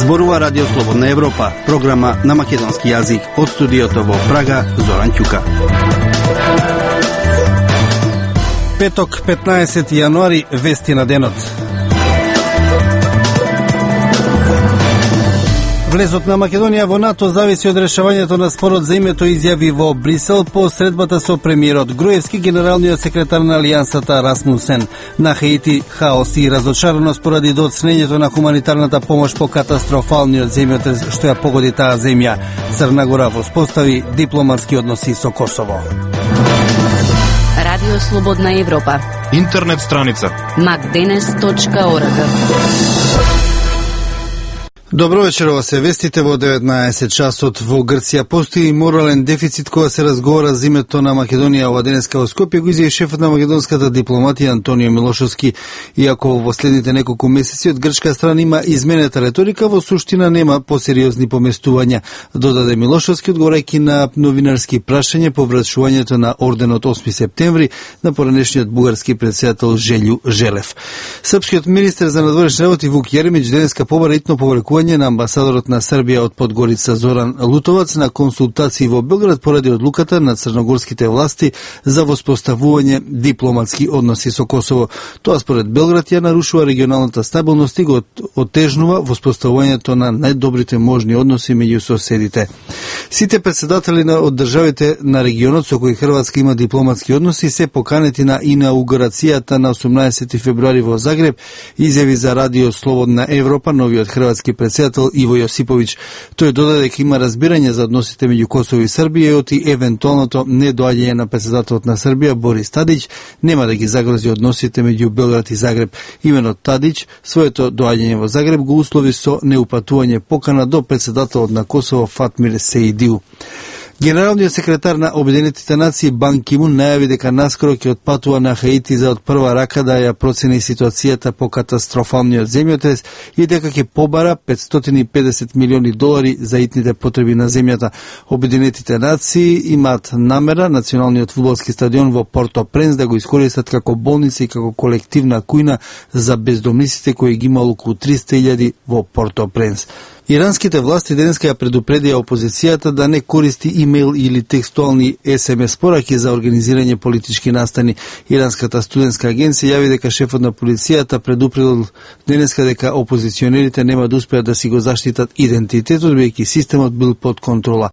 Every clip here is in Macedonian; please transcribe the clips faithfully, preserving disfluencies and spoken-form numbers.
Зборува Радио Слободна Европа, програма на македонски јазик од студиото во Прага, Зоран Ќука. Петок, петнаесети јануари, вести на денот. Влезот на Македонија во НАТО зависи од решавањето на спорот за името, изјави во Брисел по средбата со премиерот Груевски, генералниот секретар на Алијансата Расмусен. На Хаити хаос и разочараност поради доцнењето на хуманитарната помош по катастрофалниот земјотрес што ја погоди таа земја. Црна Гора воспостави дипломатски односи со Косово. Радио Слободна Европа. Интернет страница макденес точка орг. Добро вечер, ова се вестите во деветнаесет часот. Во Грција постои морален дефицит кога се разговара за името на Македонија. Ова денеска во Скопје го изјави шефот на македонската дипломатија Антонио Милошовски. Иако во последните неколку месеци од грчка страна има изменета реторика, во суштина нема посериозни поместувања, додаде Милошовски, одговорајќи на новинарски прашања по врачувањето на орденот осми септември на поранешниот бугарски претседател Желју Желев. Српскиот министер за надворешни работи Вук Јеремиќ денеска побара итно повлекување на амбасадорот на Србија од Подгорица Зоран Лутовац на консултации во Белград поради одлуката на црногорските власти за воспоставување дипломатски односи со Косово. Тоа според Белград ја нарушува регионалната стабилност и го отежнува воспоставувањето на најдобрите можни односи меѓу соседите. Сите председатели на од државите на регионот со кои Хрватска има дипломатски односи се поканети на инаугурацијата на осумнаесети февруари во Загреб, изјави за Радио Слободна Европа новиот хрватски председател Иво Јосиповиќ. Тој додаде дека има разбирање за односите меѓу Косово и Србија и оти евентуалното недоаѓање на председателот на Србија Борис Тадиќ нема да ги загрози односите меѓу Белград и Загреб. Имено Тадиќ своето доаѓање во Загреб го услови со неупатување покана до председателот на Косово Фатмир Сеидиу. Генералниот секретар на Обединетите нации Бан Ки Мун најави дека наскоро ќе отпатува на Хаити за од прва рака да ја процени ситуацијата по катастрофалниот земјотрес и дека ќе побара петстотини и педесет милиони долари за итните потреби на земјата. Обединетите нации имаат намера националниот фудбалски стадион во Порто Пренс да го искористат како болница и како колективна кујна за бездомниците кои ги има околу триста илјади во Порто Пренс. Иранските власти денеска ја предупредија опозицијата да не користи имейл или текстуални ес ем ес пораки за организирање политички настани. Иранската студентска агенција јави дека шефот на полицијата предупредил денеска дека опозиционерите нема да успеат да си го заштитат идентитетот, бидејќи системот бил под контрола.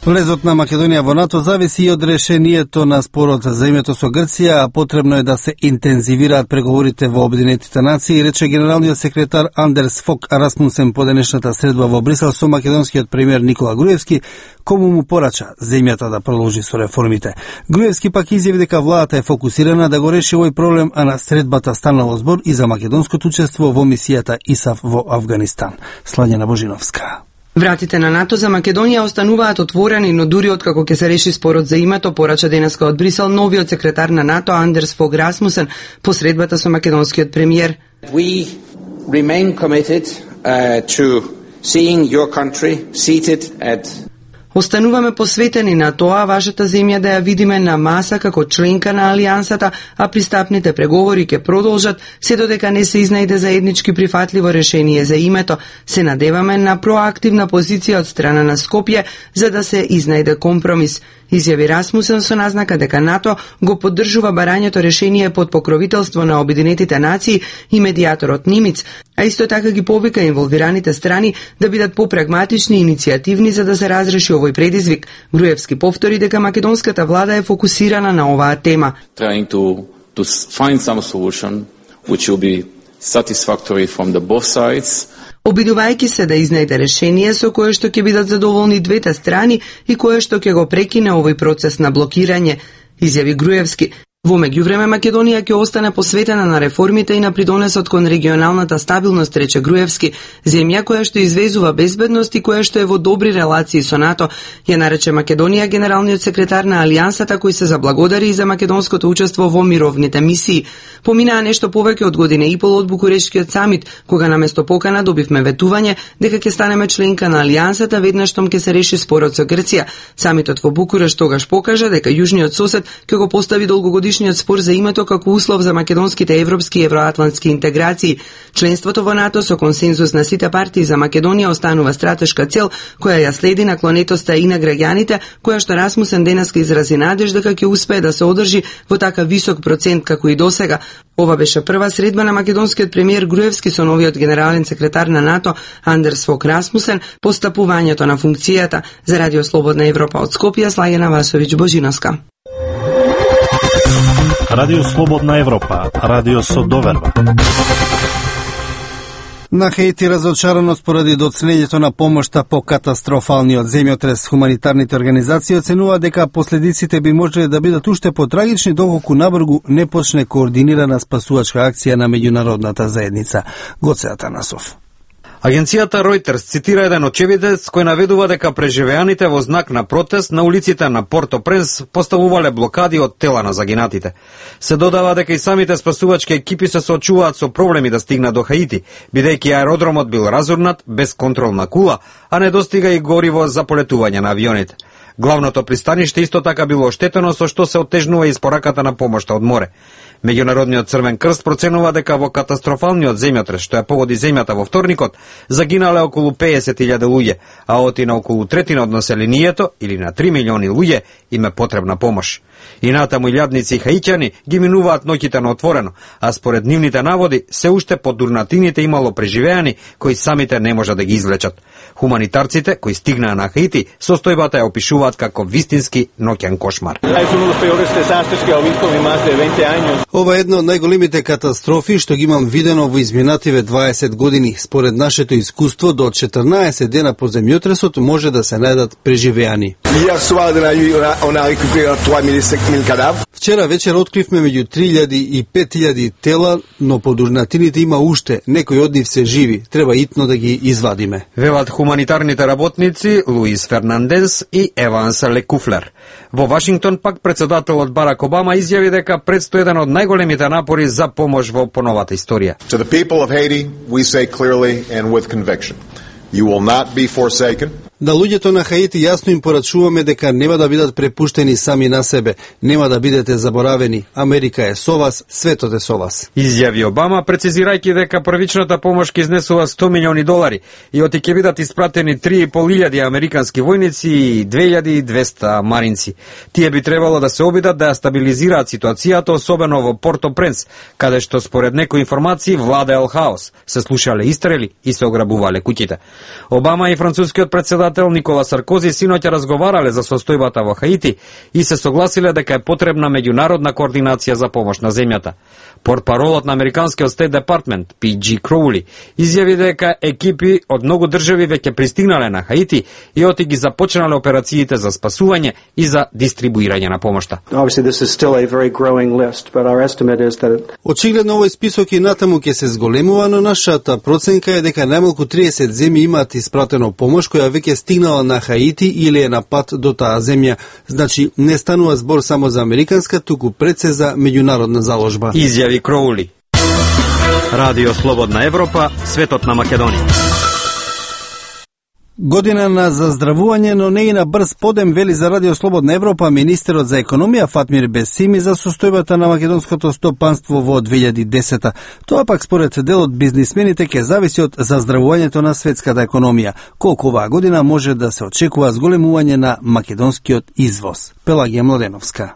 Влезот на Македонија во НАТО зависи и од решението на спорот за името со Грција, а потребно е да се интензивираат преговорите во Обединетите нации, рече генералниот секретар Андерс Фок Расмусен по денешната средба во Брисел со македонскиот премиер Никола Груевски, кому му порача земјата да продолжи со реформите. Груевски пак изјави дека владата е фокусирана да го реши овој проблем, а на средбата станало збор и за македонското учество во мисијата ИСАФ во Авганистан. Слањана Божиновска. Вратите на НАТО за Македонија остануваат отворени, но дури откако ќе се реши спорот за името, порача денеска од Брисел новиот секретар на НАТО Андерс Фог Расмусен по средбата со македонскиот премиер. We remain committed uh, to seeing your country seated at Остануваме посветени на тоа вашата земја да ја видиме на маса како членка на Алијансата, а пристапните преговори ќе продолжат се додека не се изнајде заеднички прифатливо решение за името. Се надеваме на проактивна позиција од страна на Скопје за да се изнајде компромис. Изјави Расмусен со назнака дека НАТО го поддржува барањето решение под покровителство на Обединетите нации и медијаторот Нимиц, а исто така ги повика инволвираните страни да бидат попрагматични и иницијативни за да се разреши овој предизвик. Груевски повтори дека македонската влада е фокусирана на оваа тема. Trying to to find some solution which will be satisfactory from the both sides. Обидувајќи се да изнајде решение со кое што ќе бидат задоволни двете страни и кое што ќе го прекине овој процес на блокирање, изјави Груевски. Во меѓувреме Македонија ќе остане посветена на реформите и на придонесот кон регионалната стабилност, рече Груевски. Земја која што извезува безбедност и која што е во добри релации со НАТО, ја нарече Македонија генералниот секретар на Алијансата, кој се заблагодари и за македонското учество во мировните мисии. Поминаа нешто повеќе од година и пол од Букурешкиот самит, кога наместо покана добивме ветување дека ќе станеме членка на Алијансата веднаш штом ќе се реши спорот со Грција. Самитот во Букуреш тогаш покажа дека јужниот сосед ќе го постави долгогодишниот спор за името како услов за македонските европски и евроатлантски интеграции. Членството во НАТО со консензус на сите партии за Македонија останува стратешка цел која ја следи наклонетоста и на граѓаните, која што Расмусен денеска изрази надеж дека ќе успее да се одржи во така висок процент како и досега. Ова беше прва средба на македонскиот премиер Груевски со новиот генерален секретар на НАТО Андерс Фок Расмусен по стапувањето на функцијата. За Радио Слободна Европа од Скопје, Слагена Васовиќ Божиновска. Радио Слободна Европа, радио со доверба. На Хаити разочараност поради доцнењето на помошта по катастрофалниот земјотрес, хуманитарните организации оценува дека последиците би можеле да бидат уште потрагични доколку набрзо не почне координирана спасувачка акција на меѓународната заедница. Гоце Атанасов. Агенцијата Reuters цитира еден очевидец кој наведува дека преживеаните во знак на протест на улиците на Порто-Пренс поставувале блокади од тела на загинатите. Се додава дека и самите спасувачки екипи се соочуваат со проблеми да стигнат до Хаити, бидејќи аеродромот бил разурнат без контролна кула, а не достига и гориво за полетување на авионите. Главното пристаниште исто така било оштетено, со што се оттежнува испораката на помошта од море. Меѓународниот Црвен крст проценува дека во катастрофалниот земјотрес, што ја погоди земјата во вторникот, загинале околу песет илјади луѓе, а оти на околу третина од населението, или на три милиони луѓе, им е потребна помош. И натаму илјадници хаиќани ги минуваат ноќите на отворено, а според нивните наводи, се уште под дурнатините имало преживеани кои самите не можат да ги извлечат. Хуманитарците кои стигнаа на Хаити, состојбата ја опишуваат како вистински ноќен кошмар. Ова е една од најголемите катастрофи што ги имам видено во изминативе дваесет години. Според нашето искуство, до четрнаесет дена по земјотресот може да се најдат преживеани. Вчера вечер откривме меѓу три илјади и пет илјади тела, но по дурнатините има уште, некои од нив се живи, треба итно да ги извадиме. Велат хуманитарните работници Луис Фернандес и Еванс Лекуфлер. Во Вашингтон пак председателот Барак Обама изјави дека предстои еден од најголемите напори за помош во поновата историја. To the people of Haiti, we say clearly and with conviction, you will not be forsaken. На луѓето на Хаити јасно им порачуваме дека нема да бидат препуштени сами на себе, нема да бидете заборавени. Америка е со вас, светот е со вас. Изјави Обама, прецизирајќи дека првичната помош ќе изнесува сто милиони долари и оти ќе бидат испратени три и пол илјади американски војници и две илјади и двесте маринци. Тие би требало да се обидат да ја стабилизираат ситуацијата, особено во Порто-Пренс, каде што според некои информации владеел хаос, се слушале истрели и се ограбувале куќите. Обама и францускиот председател Никола Саркози синоќа разговарале за состојбата во Хаити и се согласиле дека е потребна меѓународна координација за помош на земјата. Портпаролот на американскиот Стейт Департмент Пи Џи Кроули изјави дека екипи од многу држави веќе пристигнале на Хаити и оти ги започнале операциите за спасување и за дистрибуирање на помошта. Очигледно овој список и натаму ќе се зголемува, но нашата проценка е дека најмалку триесет земји имаат испратено помош која веќе стигнала на Хаити или е на пат до таа земја. Значи, не станува збор само за американска, туку пред се за меѓународна заложба. Изјави Кроули. Радио Слободна Европа, светот на Македонија. Година на заздравување, но не и на брз подем, вели за Радио Слободна Европа министерот за економија Фатмир Бесими за состојбата на македонското стопанство во две илјади и десета. Тоа пак според дел од бизнисмените ќе зависи од заздравувањето на светската економија. Колку оваа година може да се очекува зголемување на македонскиот извоз. Пелагија Младеновска.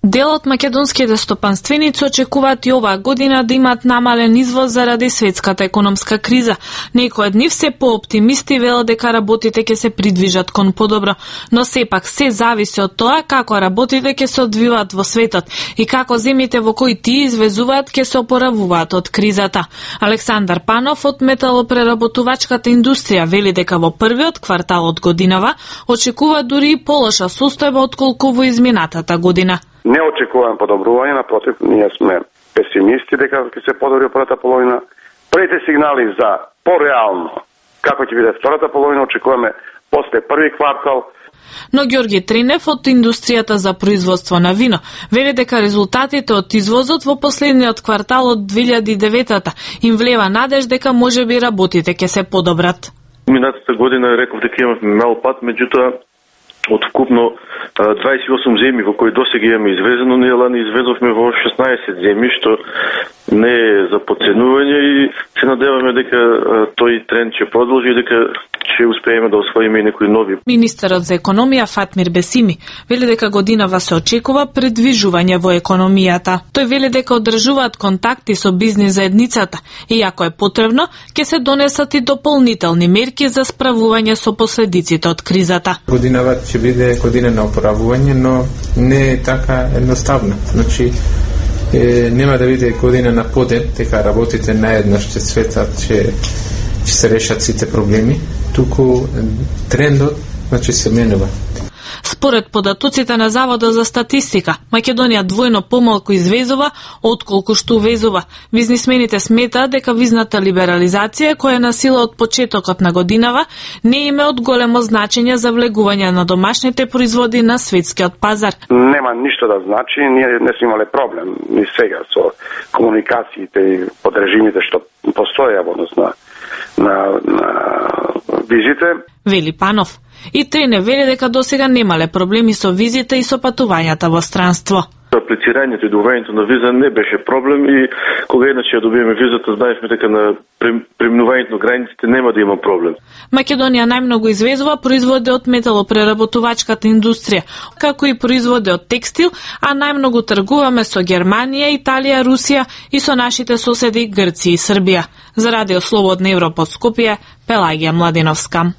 Дел од македонските стопанственици очекуваат и оваа година да имаат намален извоз заради светската економска криза. Некои од нив се пооптимисти велат дека работите ќе се придвижат кон подобро, но сепак се зависи од тоа како работите ќе се одвиваат во светот и како земјите во кои тие извезуваат ќе се опоравуваат од кризата. Александар Панов од металопреработувачката индустрија вели дека во првиот квартал од годинава очекува дури и полоша состојба отколку во изминатата година. Не очекуваме подобрување, напротив, ние сме песимисти дека ќе се подобри првата половина. Првите сигнали за пореално како ќе биде втората половина очекуваме после први квартал. Но Ѓорги Тренев од индустријата за производство на вино вели дека резултатите од извозот во последниот квартал од две илјади и девета им влева надеж дека можеби работите ќе се подобрат. Минатата година реков дека имавме мал пат, меѓутоа од вкупно дваесет и осум земји во кои досега имаме извезено, ние лани извезовме во шеснаесет земји, што не е за подценување и се надеваме дека тој тренд ќе продолжи и дека ќе успееме да освоиме и некои нови. Министерот за економија Фатмир Бесими вели дека годинава се очекува предвижување во економијата. Тој вели дека одржуваат контакти со бизнис заедницата и ако е потребно, ќе се донесат и дополнителни мерки за справување со последиците од кризата. Годинава ќе биде година на опоравување, но не е така едноставно. Значи, е, нема да биде година на подет, дека работите наеднаш ќе светат, ќе ќе се решат сите проблеми, туку трендот значи се менува. Според податоците на Заводот за статистика, Македонија двојно помалку извезува отколку што увезува. Бизнисмените сметаат дека визната либерализација, која е на сила од почетокот на годинава, не има од големо значење за влегување на домашните производи на светскиот пазар. Нема ништо да значи, ние не сме имале проблем ни сега со комуникациите и подрежимите што постоја во однос на на, на визите. Вели Панов. И Трене вели дека досега немале проблеми со визите и со патувањата во странство. Аплицирањето и добивањето на виза не беше проблем и кога еднаш ја добиеме визата, знаевме дека на преминувањето на границите нема да има проблем. Македонија најмногу извезува производи од металопреработувачката индустрија, како и производи од текстил, а најмногу тргуваме со Германија, Италија, Русија и со нашите соседи Грција и Србија. За Радио Слободна Европа од Скопје, Пелагија Младиновска.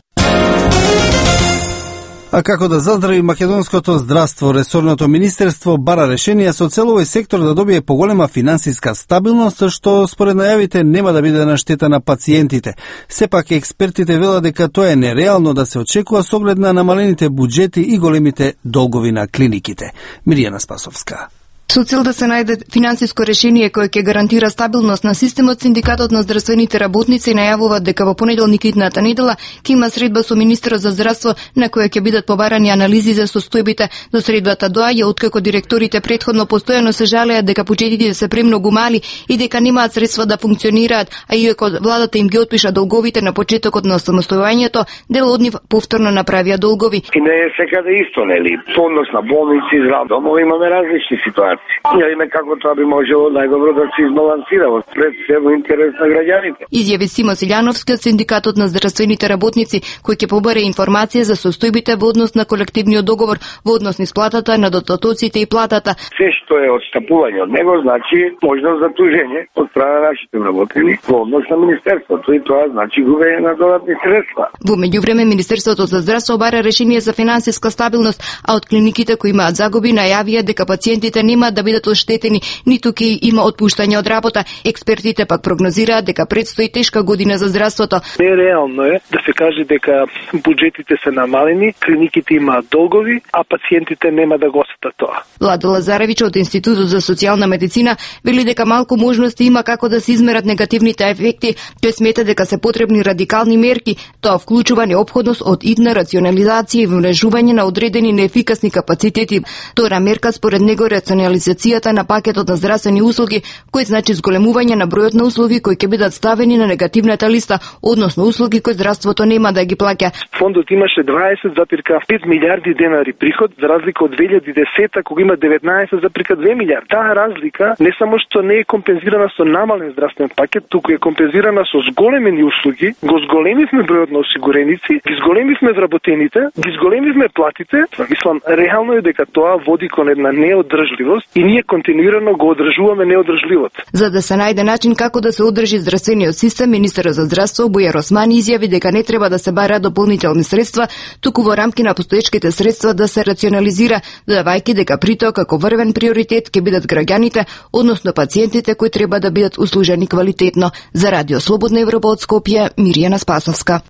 А како да заздрави македонското здравство, ресорното министерство бара решение со цел овој сектор да добие поголема финансиска стабилност, што според најавите нема да биде на штета на пациентите. Сепак експертите велат дека тоа е нереално да се очекува со оглед на намалените буџети и големите долгови на клиниките. Миријана Спасовска. Со цел да се најде финансиско решение кое ќе гарантира стабилност на системот, Синдикатот на здравствените работници најавуваат дека во понеделник идната недела ќе има средба со министерот за здравство на која ќе бидат побарани анализи за состојбите. До средбата доаѓа откако директорите претходно постојано се жалеат дека буџетите се премногу мали и дека немаат средства да функционираат, а иако владата им ги отпиша долговите на почетокот на самостојувањето, дел од нив повторно направија долгови. И не е секаде исто, нели? По однос на болници, здравни домови имаме различни ситуации. Ја име како тоа би можело најдобро да се избалансира пред се во интерес на граѓаните. Изјави Симо Силјановски од Синдикатот на здравствените работници, кој ќе побере информација за состојбите во однос на колективниот договор, во однос на исплатата на дотатоците и платата. Се што е отстапување од него значи можност за тужење од страна на нашите вработени во однос на министерството и тоа значи губење на додатни средства. Во меѓувреме министерството за здравство бара решение за финансиска стабилност, а од клиниките кои имаат загуби најавија дека пациентите нема да бидат оштетени, ниту ќе има отпуштање од работа. Експертите пак прогнозираат дека предстои тешка година за здравството. Нереално е да се каже дека буџетите се намалени, клиниките имаат долгови, а пациентите нема да го осетат тоа. Владо Лазаревич од Институтот за социјална медицина вели дека малку можности има како да се измерат негативните ефекти. Тој смета дека се потребни радикални мерки, тоа вклучува неопходност од идна рационализација и вмрежување на одредени неефикасни капацитети. Втора мерка според него рационализацијата на пакетот на здравствени услуги, кој значи зголемување на бројот на услуги кои ќе бидат ставени на негативната листа, односно услуги кои здравството нема да ги плаќа. Фондот имаше дваесет запирка пет милиарди денари приход, за разлика од две илјади и десета кога има деветнаесет запирка две милиарди. Таа разлика не само што не е компензирана со намален здравствен пакет, туку е компензирана со зголемени услуги, го зголемивме бројот на осигуреници, ги зголемивме вработените, ги зголемивме платите. Мислам, реално е дека тоа води кон една неодржливост и ние континуирано го одржуваме неодржливот. За да се најде начин како да се одржи здравствениот систем, министерот за здравство Бујар Османи изјави дека не треба да се бараат дополнителни средства, туку во рамки на постоечките средства да се рационализира, додавајќи дека при тоа како врвен приоритет ќе бидат граѓаните, односно пациентите кои треба да бидат услужени квалитетно. За Радио Слободна Европа од Скопје, Миријана Спасовска.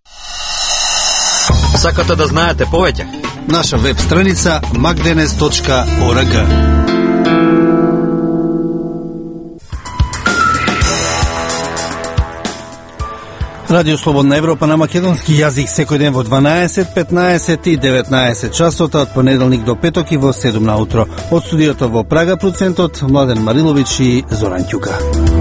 Сакате да знаете повеќе? Наша веб страница макденес точка орг. Радио Слободна Европа на македонски јазик секој ден во дванаесет, петнаесет и деветнаесет часот, од понеделник до петок и во седум наутро. Од студиото во Прага, процентот Младен Марилович и Зоран Ќука.